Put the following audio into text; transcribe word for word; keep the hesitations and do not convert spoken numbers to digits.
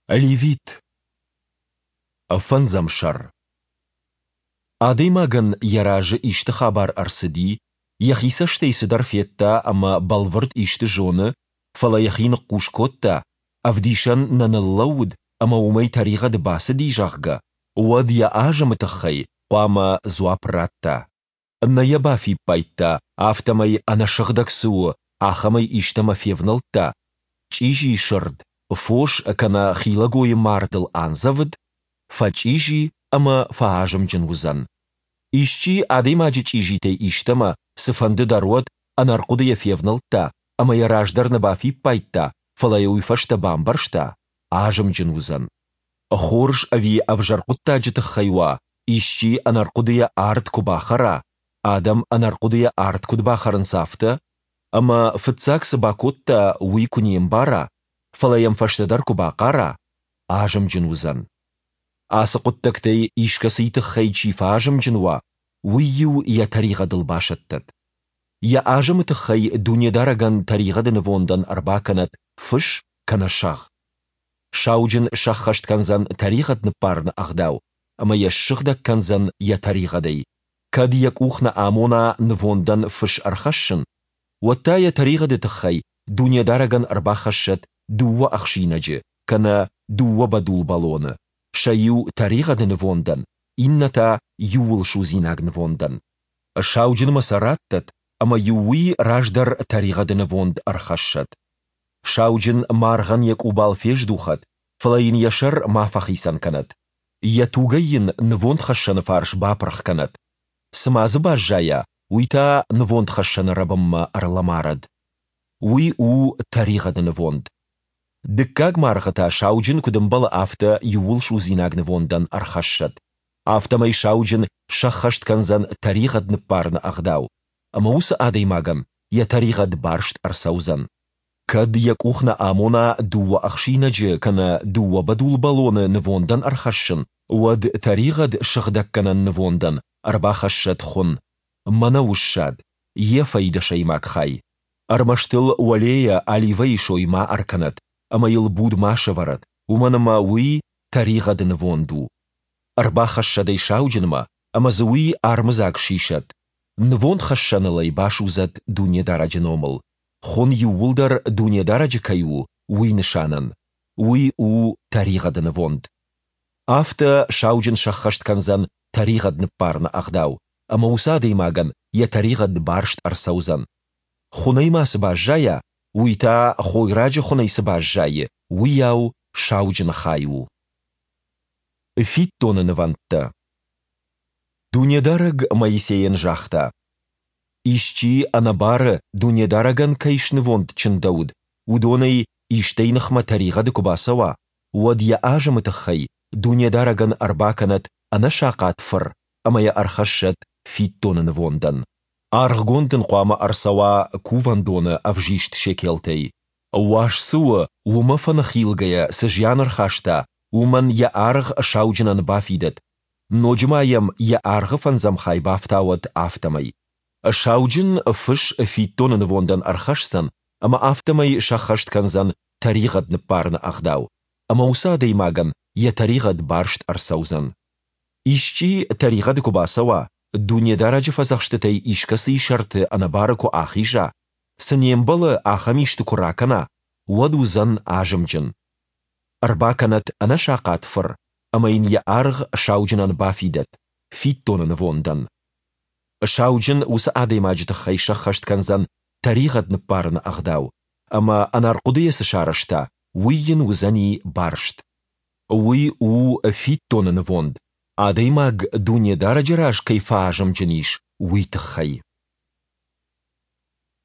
Левит. Фӕндзӕм сӕр. Адӕймагӕн йӕ разы исты хабар ӕрцыди, йӕхи цӕстӕй цыдӕр федта ӕмӕ бӕлвырд исты зоны, фӕлӕ йӕхи ныхъхъус кодта, ӕвдисӕн нӕ ныллӕууыд ӕмӕ уымӕй тӕригъӕды бацыди, зӕгъгӕ, уӕд йӕ азымы тыххӕй хъуамӕ дзуапп ратта. Нӕ йӕ бафиппайдта, афтӕмӕй, ӕнӕсыгъдӕг цы у, ахӕмӕй истӕмӕ февнӕлдта, чъизи сырд, фос кӕнӕ хилӕгойы мардыл андзӕвыд, фӕчъизи ӕмӕ фӕазымджын уыдзӕн. Исчи адӕймаджы чъизитӕй истӕмӕ, цыфӕнды дӕр уӕд, ӕнӕрхъуыдыйӕ февнӕлдта ӕмӕ йӕ раздӕр нӕ бафиппайдта, фӕлӕ йӕ уый фӕстӕ бамбӕрста, азымджын уыдзӕн. Хорз ӕви ӕвзӕр хъуыддаджы тыххӕй уа, исчи ӕнӕрхъуыдыйӕ ард куы бахӕра, адӕм ӕнӕрхъуыдыйӕ ард куыд бахӕрынц, афтӕ, ӕмӕ фыццаг цы бакодта, уый куы не мбара, фӕлӕ йӕм фӕстӕдӕр куы бахъара, азымджын уыдзӕн. Ацы хъуыддӕгтӕй искӕцыйы тыххӕй чи фӕазымджын уа, уый-иу йӕ тӕригъӕдыл басӕттӕд. Йӕ азымы тыххӕй Дунедарӕгӕн тӕригъӕды нывондӕн ӕрбакӕнӕд фыс кӕнӕ сӕгъ. Сауджын сӕххӕст кӕндзӕн тӕригъӕд ныббарыны ӕгъдау ӕмӕ йӕ ссыгъдӕг кӕндзӕн йӕ тӕригъӕдӕй, кӕд йӕ къух нӕ амона нывондӕн фыс ӕрхӕссын, уӕд та йӕ тӕригъӕды тыххӕй Дунедарӕгӕн ӕрбахӕссӕд дыууӕ ӕхсинӕджы кӕнӕ дыууӕ бӕдул бӕлоны, сӕ иу тӕригъӕды нывондӕн, иннӕ та иууылсудзинаг нывондӕн. Сауджынмӕ сӕ раттӕд, ӕмӕ-иу уый раздӕр тӕригъӕды нывонд ӕрхӕссӕд. Сауджын маргъӕн йӕ къубал фездухӕд, фӕлӕ йын йӕ сӕр ма фӕхицӕн кӕнӕд. Йӕ тугӕй йын нывондхӕссӕны фарс бапырх кӕнӕд. Цы ма дзы баззайа, уый та нывондхӕссӕны рӕбынмӕ ӕрлӕмарӕд. Уый у тӕригъӕды нывонд. Дыккаг маргъы та сауджын, куыд ӕмбӕлы, афтӕ иууылсудзинаг нывондӕн ӕрхӕссӕд. Афтӕмӕй сауджын сӕххӕст кӕндзӕн тӕригъӕд ныббарыны ӕгъдау, ӕмӕ уыцы адӕймагӕн йӕ тӕригъӕд барст ӕрцӕудзӕн. Кӕд йӕ къух нӕ амона дыууӕ ӕхсинӕджы кӕнӕ дыууӕ бӕдул бӕлоны нывондӕн ӕрхӕссын, уӕд тӕригъӕд сыгъдӕггӕнӕн нывондӕн ӕрбахӕссӕд хуын, мӕнӕуы ссад, ефӕйы дӕсӕймаг хай. Ӕрмӕст ыл уӕлейӕ оливӕйы сой ма ӕркӕнӕд ӕмӕ йыл буд ма сӕвӕрӕд, уымӕн ӕмӕ уый тӕригъӕды нывонд у. Ӕрбахӕссӕд ӕй сауджынмӕ, ӕмӕ дзы уый армыдзаг сисӕд, нывондхӕссӕныл ӕй басудзӕд Дунедарӕджы номыл, хуын иууылдӕр Дунедарӕджы кӕй у, уый нысанӕн. Уый у тӕригъӕды нывонд. Афтӕ сауджын сӕххӕст кӕндзӕн тӕригъӕд ныббарыны ӕгъдау, ӕмӕ уыцы адӕймагӕн йӕ тӕригъӕд барст ӕрцӕудзӕн. Хуынӕй ма цы баззайа, уый та, хойраджы хуынӕй цы баззайы, уыйау сауджыны хай у. Фиддоны нывӕндтӕ. Дунедарӕг Моисейӕн загъта: Исчи ӕнӕбары Дунедарӕгӕн кӕй снывонд чындӕуыд, уыдонӕй истӕй ныхмӕ тӕригъӕды куы бацӕуа, уӕд йӕ азымы тыххӕй Дунедарӕгӕн ӕрбакӕнӕд ӕнӕсахъат фыр ӕмӕ йӕ ӕрхӕссӕд фиддоны нывондӕн. Аргъгонд ын хъуамӕ ӕрцӕуа кувӕндоны ӕвзист шекелтӕй. Уаз цы у, уымӕ фӕныхилгӕйӕ цы зиан ӕрхаста, уымӕн йӕ аргъ сауджынӕн бафидӕд, ноджы ма йӕм йӕ аргъы фӕндзӕм хай бафтауӕд, афтӕмӕй. Сауджын фыс фиддоны нывондӕн ӕрхӕсдзӕн ӕмӕ афтӕмӕй сӕххӕст кӕндзӕн тӕригъӕд ныббарыны ӕгъдау, ӕмӕ уыцы адӕймагӕн йӕ тӕригъӕд барст ӕрцӕудзӕн. Исчи тӕригъӕды куы бацӕуа, Дунедарӕджы фӕдзӕхстытӕй искӕцыйы сӕрты ӕнӕбары куы ахиза, цы не мбӕлы, ахӕм исты куы ракӕна, уӕд уыдзӕн азымджын. Ӕрбакӕнӕд ӕнӕсахъат фыр ӕмӕ йын йӕ аргъ сауджынӕн бафидӕд фиддоны нывондӕн. Сауджын уыцы адӕймаджы тыххӕй сӕххӕст кӕндзӕн тӕригъӕд ныббарыны ӕгъдау, ӕмӕ ӕнӕрхъуыдыйӕ цы сарӕзта, уый йын уыдзӕни барст. Уый у фиддоны нывонд, адӕймаг Дунедарӕджы раз кӕй фӕазымджын ис, уый тыххӕй.